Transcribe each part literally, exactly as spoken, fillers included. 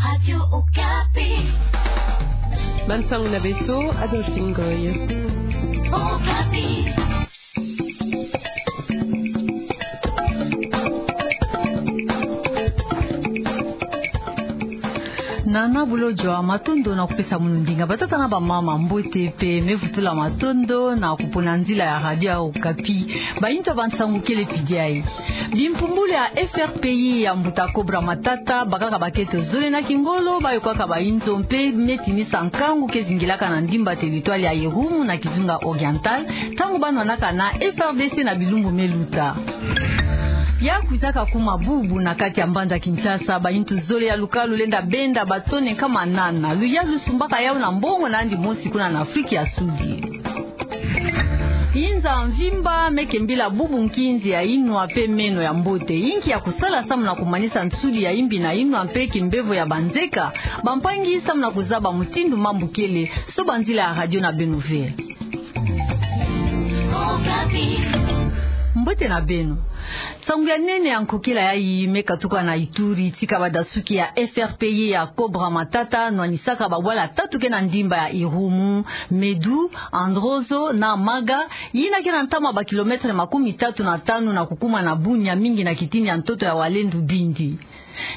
Radio Okapi. Bansangu na beto, Adolphine Goy. Okapi. Nana Bolodjwa, matondo na kupesa munu ndinga. Batata na bamama, mbote pe me vutula matondo na kupona nzila ya Radio Okapi. Bayintu ya bansangu kele pidiai. Bimpumbulu ya F R P I ya mbuta Cobra Matata, bakaka baketo zole na kingolo, bayokaka bayinzo mpe me tinisa nkangu ke zingilaka na ndimba territoire ya Irumu na Kizunga Oriental, ntangu banwanaka na F R D C na bilumbu me luta. Ya kwizaka kuma bubu na kati ya mbanza Kinshasa, bayintu zole ya lukalu lenda benda ba tonnes nkama nana. Luyalu lusumbaka yawu na mbongo na yandi mosi kuna na Afrique ya Sudi. Inza mvimba me kembila bubu nkinzi ya inwa mpe meno ya mbote. Inki ya kusala samu na kumanisa nsudi ya imbi na inwa mpe kimbevo ya banzeka? Bampangi, samu na kuzaba mutindu mambu kele, soba nzila ya radio na beno ve. Mbote na beno. Nsangu ya nene ya nkokela yayi me katuka na Ituri, tika badasuki ya F R P I ya Cobra Matata nwanisaka babwala tatu ke na ndimba ya Irumu, Medu, Androzo na Maga, yina ke na ntama ba kilomètre makumi tatu na tanu na kukuma na Bunia, mingi na kitini ya ntoto ya Walendu Bindi.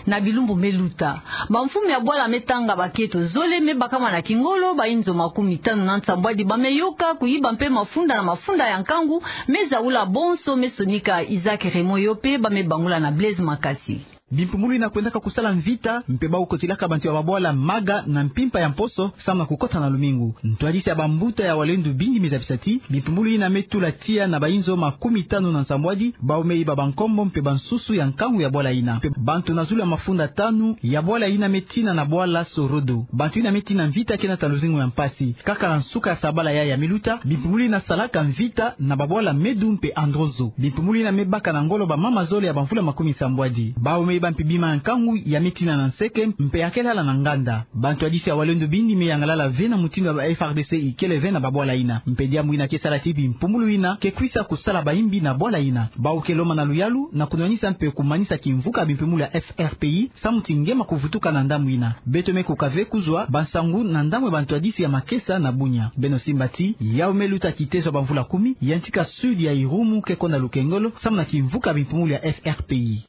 Na bilumbu me luta, bamfumu ya bwala me tanga baketo zole, me bakama na kingolo, bayinzo makumi tanu na nsambwadi ba me yoka, kuyiba mpe mafunda na mafunda ya nkangu me zaula, bonso me sonika Isaac Raymond, yo mpe ba me bangula na Blaise Makasi. Bimpumbulu yina kwendaka kusala mvita, mpe bawu kotilaka bantu ya babwala Maga na mpimpa ya mposo, samu na kukota na lumingu. Ntwadisi ya bambuta ya Walendu Bindi me zabisa ti bimpumbulu yina me tula tiya na bayinzo makumi tanu na nsambwadi, bawu me yiba bankombo mpe bansusu ya nkangu ya bwala yina. Mpe bantu na zulu ya mafunda tanu ya bwala yina me tina na bwala Sorodo. Bantu yina me tina mvita ke nata luzingu ya mpasi. Kaka na nsuka ya sabala yayi ya me luta, bimpumbulu yina salaka mvita na babwala Medu mpe Androzo. Bimpumbulu yina me baka na ngolo bamama zole ya bamvula makumi nsambwadi. Bawu me yiba mpe bima ya nkangu ya me tina na nseke, mpe ya kele ala na nganda. Bantwadisi ya Walendu Bindi me yangalala ve na mutindu ya ba F R D C ikele ve na babwala yina. Mpe diambu yina ke sala ti bimpumbulu yina ke kwisa kusala bayimbi na bwala yina. Bawu ke lomba na luyalu na kunwanisa mpe kumanisa kimvuka bimpumbulu ya F R P I, samu ti nge ma kuvutuka na ndambu yina. Beto me kuka ve kuzwa bansangu na ndambu ya bantwadisi ya makesa na Bunia. Beno simba ti yawu me luta kitezo ya bamvula kumi, yantika sud ya Irumu ke konda lukengolo, samu na kimvuka bimpumbulu ya F R P I.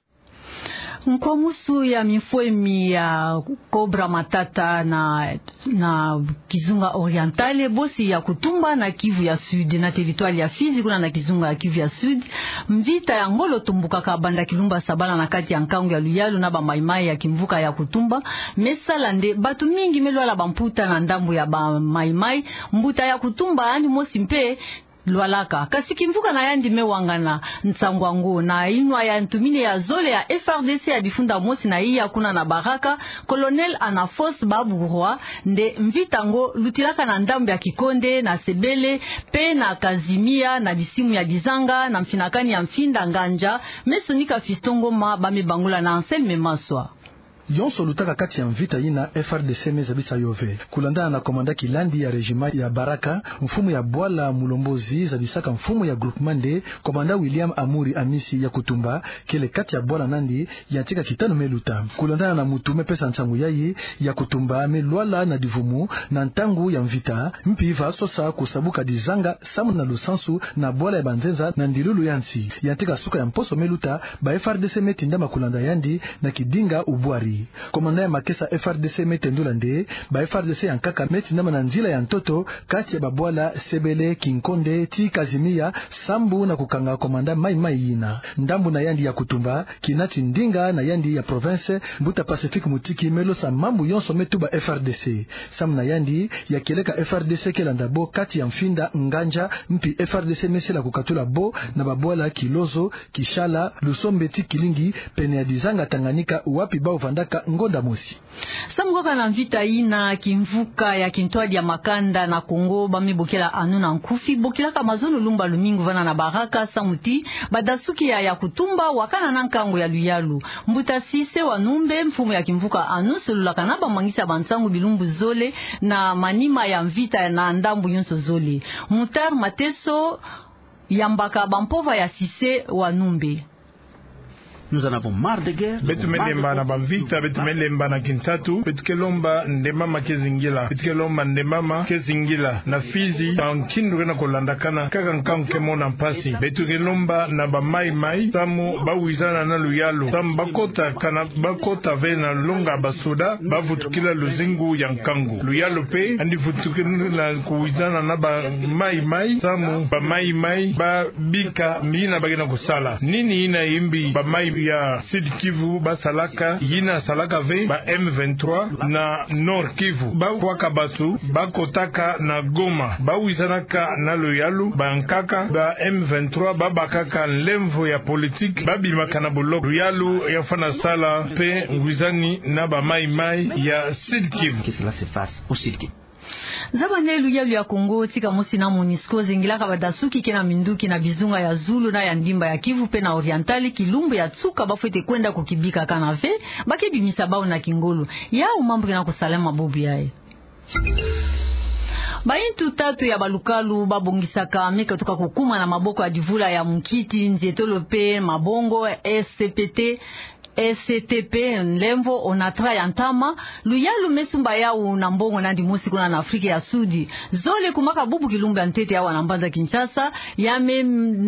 Nkwamusu ya mimfwemi ya Cobra Matata na, na Kizunga Oriental, bosi ya Kutumba na Kivu ya Sud, na territoire ya Fizi, kuna na Kizunga ya Kivu ya Sud, mvita ya ngolo tumbukaka banda kilumbu ya sabala na kati ya nkangu ya luyalu na ba Maï-Maï ya kimvuka ya Kutumba. Me sala nde bantu mingi me lwala bamputa na ndambu ya ba Maï-Maï. Mbuta ya Kutumba yandi mosi mpe lwalaka. Kasi kimvuka na yandi me wangana nsangu yango na inwa ya ntumini ya zole ya F R D C ya difunda mosi na iya kuna na Baraka, Colonel Anafos Baburwa, nde mvita yango lutilaka na ndambu ya Kikonde, na Sebele, mpe na Kazimia, na bisimu ya Dizanga, na mfinakani ya Mfinda Nganja, me sonika Fiston Ngoma, ba me bangula na Anselme Maswa. Yonso lutaka kati ya mvita yina, F R D C me zabisa yo ve. Kulandana na komanda Kilandi ya régiment ya Baraka, mfumu ya bwala Mulombozi zabisaka mfumu ya groupement nde komanda William Amuri Amisi ya Kutumba kele kati ya bwala na yandi, yantika kitanu me luta. Kulandana na mutu me pesa nsangu yayi, ya Kutumba me lwala na divumu na ntangu ya mvita, mpi va sosa kusabuka Dizanga samu na lusansu na bwala ya banzenza na ndilulu ya nsi. Yantika suka ya mposo me luta, ba F R D C me tindama kulanda yandi na kidinga ubwari. Komanda ya makesa F R D C me tendula nde ba F R D C ya nkaka me tindama na nzila ya ntoto kati ya babwala Sebele, Kinkonde ti Kazimia, sambu na kukanga komanda Maï-Maï yina. Ndambu na yandi ya Kutumba, kina ti ndinga na yandi ya province, mbuta Pacifique Mutiki me losa mambu yonso me tuba F R D C. Samu na yandi, ya kieleka F R D C ke landa bo kati ya Mfinda Nganja, mpi F R D C me sila kukatula bo na babwala Kilozo, Kishala, Lusombe ti Kilingi, pene ya Dizanga Tanganyika, wapi bau vandaka ngonda mosi. Samu kaka na mvita yina, kimvuka ya kintwadi ya makanda na Kongo ba me bokila anu na nkufi, bokilaka mazono lumbu ya lumingu vana na Baraka, samu ti badasuki ya ya Kutumba wakana na nkangu ya luyalu. Mbuta Sise Wanumbe, mfumu ya kimvuka anu, solulaka na bamangisi ya bansangu bilumbu zole na manima ya mvita na ndambu yonso zole. Mutar Mateso yambaka bampova ya Sise Wanumbe. Nous en avons marre de guerre. Beto me lemba na bamvita, beto me lemba na kintatu, beto ke lomba nde mama ke zingila, beto ke lomba nde mama ke zingila. Na Fizi, bankindu ke na kolandakana, kaka nkangu ke mona mpasi. Beto ke lomba na ba Maï-Maï, samu ba wizana na luyalu, samu ba kota, kana ba kota ve na longa basoda, ba vutukila luzingu ya nkangu. Luyalu mpe, yandi vutukila na kuwizana na ba Maï-Maï, samu ba Maï-Maï, ba bika mina ba ke na kusala. Nini yina yimbi ba Maï ya Sud-Kivu ba salaka, yina salaka ve ba M vingt-trois na Nord-Kivu? Ba kwaka bato, ba kotaka na Goma, ba wizanaka na luyalu, bankaka ba M vingt-trois ba bakaka nlemvo ya politique, ba bimaka na boloko. Luyalu ya fwana sala mpe ngwizani na ba Maï-Maï ya Sud-Kivu. Que cela se fasse au Sud-Kivu. Zaba nde luyalu ya Congo, tika mosi na MONUSCO, zingilaka badasuki ke na minduki na bizunga ya zulu na ya ndimba ya Kivu mpe na Oriental, kilumbu ya nsuka ba fwete kwenda kukibika, kana ve ba ke bimisa bau na kingolo. Yau mambu ke na kusalama bubu yayi. Bayintu tatu ya balukalu ba bongisaka me katuka kukuma na maboko ya divula ya munkiti, nzietolo mpe mabongo, S C P T, S C T P, nlemvo, ONATRA ya ntama, luyalu me sumba yau na mbongo nandi mosi kuna na Afrika ya Sudi. Zole kumaka bubu kilumbu ya ntete awa na mbanza Kinshasa, ya me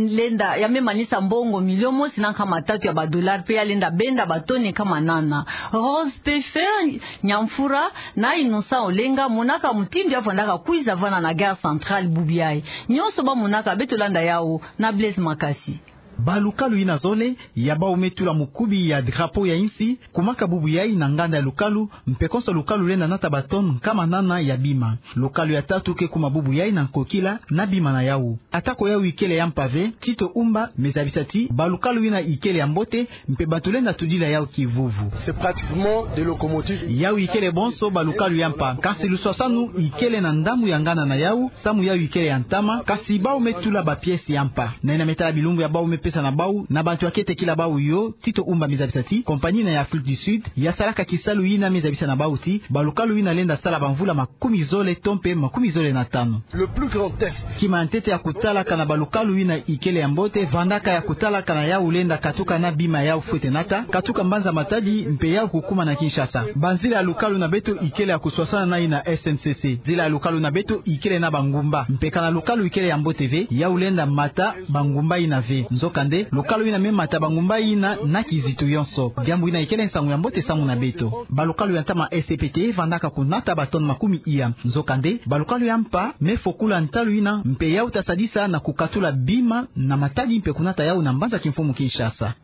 lenda, ya me manisa mbongo milio mosi na nkama tatu ya ba dollars, mpe ya lenda benda batoni nkama nana. Rose Peffer Nyamfura na Innocent Olenga, monaka mutindu ya vandaka kwiza vanda na Gare Centrale bubu yayi. Nyonso ba monaka, beto landa yau na Blaise Makasi. Balukalu yina zole, ya bau me tula mukubi ya drapeau ya insi, kumaka bubu yayi na nganda ya lukalu, mpe konso lukalu lenda nata ba tonnes nkama nana ya bima. Lukalu ya tatu ke kuma bubu yayi na nkokila na bima na yau. Atako yau ikele ya mpa ve, Tito Umba me zabisa ti balukalu yina ikele ya mbote, mpe bato lenda tudila yau kivuvu. C'est pratiquement des locomotives. Yau ikele bonso balukalu ya mpa, kasi luswasanu ikele na ndambu ya nganda na yau, samu yau ikele ya ntama, kasi bau me tula ba pièces ya mpa. Na yina me tala bilumbu ya bau me pesa na bau, na bantu ya ke tekila bau yo, Tito Umba me zabisa ti compagnie yina ya Afrique du Sud ya salaka kisalu yina me zabisa na bau ti balukalu yina lenda sala bamvula makumi zole to mpe makumi zole na tanu. Le plus grand test. Kima ya ntete ya kutalaka na balukalu yina ikele ya mbote, vandaka ya kutalaka na yau lenda katuka na bima yau fwete nata, katuka mbanza Matadi, mpe yau kukuma na Kinshasa. Banzila ya lukalu na beto ikele ya kuswasana na yina S N C C. Nzila ya lukalu na beto ikele na bangumba. Mpe kana lukalu ikele ya mbote ve, yau lenda mata bangumba yina ve. Nzokande, lukalu yina me mata bangumba yina na kizitu yonso. Diambu yina ikele nsangu ya mbote samu na beto. Balukalu ya ntama S C P T vandaka kunata ba tonnes makumi iya. Nzokande, balukalu ya mpa me fokula ntalu yina, mpe yau ta sadisa na kukatula bima na Matadi mpe kunata yau na mbanza kimfumu Kinshasa.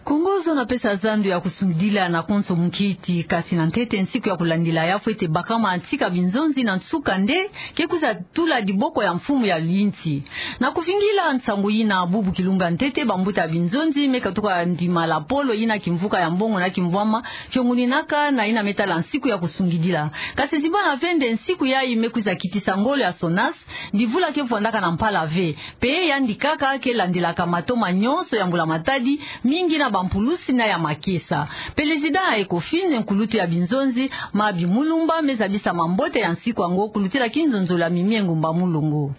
Kongo zona pesa zandu ya kusungidila na konso munkiti, kasi na ntete nsiku ya kulandila ya fwete bakama tika binzonzi na nsuka nde ke kwiza tula diboko ya mfumu ya linti. Na kuvingila nsangu yina bubu kilumbu ya ntete, bambuta ya binzonzi me katuka ndima lapolo yina kimvuka ya mbongo na kimvwama kionguninaka na yina me tala nsiku ya kusungidila. Kasi zimbana ve nde nsiku yayi me kwiza kitisa ngolo ya SONAS, divula ke vwandaka na mpala ve. Mpe yandi kaka ke landilaka matoma nyonso ya Mbula Matadi, mingi na bampulusi na ya makesa. Pelezida ya ECOFIN, nkulutu ya binzonzi, Mabi Mulumba, me zabisa mambote ya nsiku yango, kulutila kinzonzolo ya Mimie Ngumba Mulongo.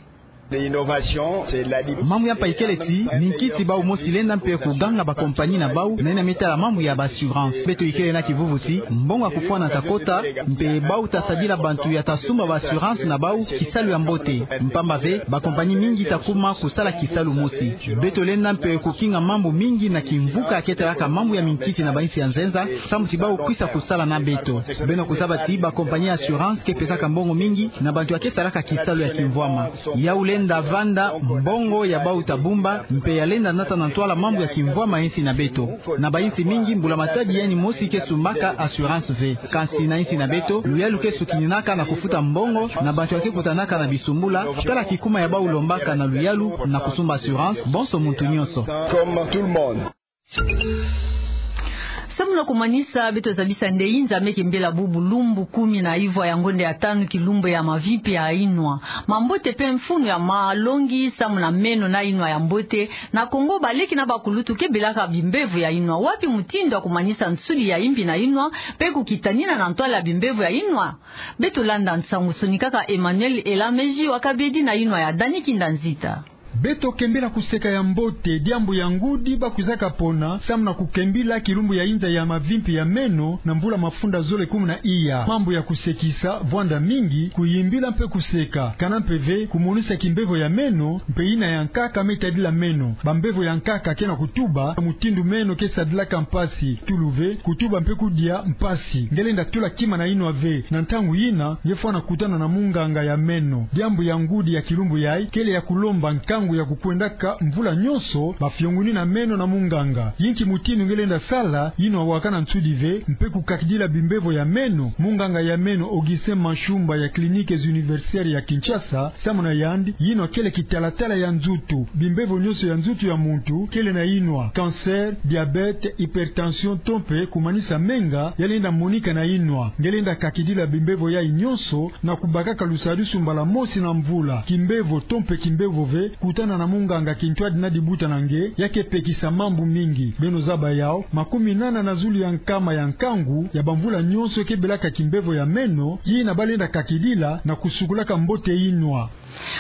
Mambu ya mpa ikele ti minkiti bau mosi lenda mpe kuganga ba compagnie na bau na yina me tala mambu ya ba assurance. Beto ikele na kivuvu ti mbongo ya kufwana ta kota, mpe bau ta sadila bantu ya ta sumba ba assurance na bau kisalu ya mbote. Mpamba ve, ba compagnie mingi ta kuma kusala kisalu mosi. Beto lenda mpe kukinga mambu mingi na kimvuka ya ke talaka mambu ya minkiti na bainsi ya nzenza, samu ti bau kwisa kusala na beto. Beno kuzaba ti ba compagnie ya assurance ke pesaka mbongo mingi na bantu ya ke salaka kisalu ya kimvwama. Yau lenda vanda mbongo ya bau ta bumba, mpe ya lenda nata na ntwala mambu ya kimvwama ya insi na beto. Na bainsi mingi, Mbula Matadi yandi mosi ke sumbaka assurance ve. Kansi na insi na beto, luyalu ke sukininaka na kufuta mbongo na bantu ya ke kutanaka na bisumbula, tala kikuma ya bau lombaka na luyalu na kusumba assurance, bonso muntu nyonso. Comme tout le monde. Samu na kumanisa, beto zabisa nde Nzambi ke mbela bubu lumbu kumi na ivwa ya ngonde ya tanu kilumbu ya mavipi ya inwa. Mambote mpe mfunu ya malongi samu na meno na inwa ya mbote. Na Kongo, baleki na bakulutu ke belaka bimbevo ya inwa. Wapi mutindu ya kumanisa nsudi ya imbi na inwa, mpe kukitanina na ntwala ya bimbevo ya inwa? Beto landa nsangu sonikaka Emmanuel Elameji wa Kabedi na inwa ya Dani Kinda Nzita. Beto kembila kuseka ya mbote, diambu ya ngudi bakwizaka pona samu na kukembila kilumbu ya inza ya mavimpi ya meno na mvula mafunda zole kumi na iya. Mambu ya kusekisa, vwanda mingi, kuyimbila mpe kuseka, kana mpe ve kumonisa kimbevo ya meno, mpe yina ya nkaka me tadila meno. Bambevo ya nkaka ke na kutuba mutindu meno ke sadilaka mpasi, tulu ve kutuba mpe kudia mpasi. Nge lenda tula kima na yinwa ve, na ntangu yina nge fwana kutana na munganga ya meno. Diambu ya ngudi ya kilumbu yayi kele ya kulomba nkangu ya kukwendaka mvula nyonso bafiongunina meno na munganga. Yinki mutindu nge lenda sala yinwa wakana nsudi ve mpe kukakidila bimbevo ya meno? Munganga ya meno Augustin Mashumba ya Cliniques Universitaires ya Kinshasa, samu na yandi, yinwa kele kitalatala ya nzutu. Bimbevo nyonso ya nzutu ya muntu kele na yinwa: cancer, diabète, hypertension to mpe kumanisa menga ya lenda monika na yinwa. Nge lenda kakidila bimbevo yayi nyonso na kubakaka lusadisu mbala mosi na mvula. Kimbevo to mpe kimbevo ve kutana na munganga kintwadi na dibuta na nge, ya ke pekisa mambu mingi. Beno zaba yawu, makumi nana na zulu ya nkama ya nkangu ya bamvula nyonso ke belaka kimbevo ya meno, yina balenda kakidila na kusukulaka mbote yinwa.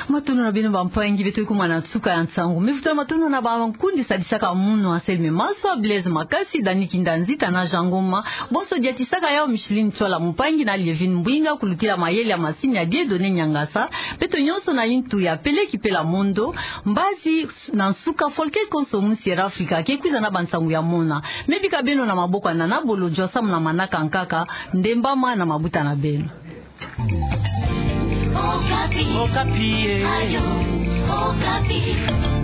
Matondo na beno bampangi, beto kuma na nsuka ya nsangu. Mivutano matondo na bankundi sadisaka munu, Anselme Maswa, Blaise Makasi, Dani Kindanzita na Jean Ngoma. Bonso diatisaka yawu Micheline Tsola Mpangi na Lievine Mbwinga, kulutila mayele ya masini ya Dieudonné Niangasa. Beto nyonso na yintu ya Peleki Pela Mondo. Mbazi na nsuka, Folke Konso mu Sierra Afrika ke kwiza na bansangu ya mona. Me bika beno na maboko ya Nana Bolodjwa samu na manaka nkaka. Ndembama na mabuta na beno. Okapi. Okapi, eh. Radio Okapi.